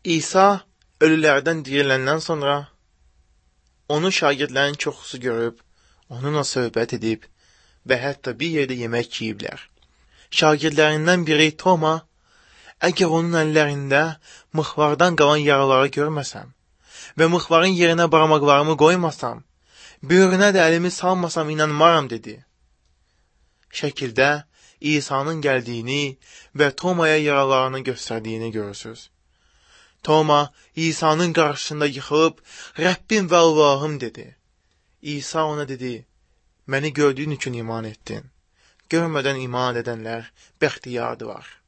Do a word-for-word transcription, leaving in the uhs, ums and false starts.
İsa ölülərdən diriləndən sonra onu şagirdlərin çoxusu görüb, onunla söhbət edib və hətta bir yerdə yemək yiyiblər. Şagirdlərindən biri Toma, əgər onun əllərində mıxvardan qalan yaraları görməsəm və mıxvarın yerinə barmaqlarımı qoymasam, böyrünə də əlimi salmasam inanmaram dedi. Şəkildə İsa'nın gəldiyini və Tomaya yaralarını göstərdiyini görürsünüz. Toma İsa'nın qarşısında yıxılıb, Rəbbim və Allahım dedi. İsa ona dedi, məni gördüyün üçün iman etdin. Görmədən iman edənlər bəxtiyardılar.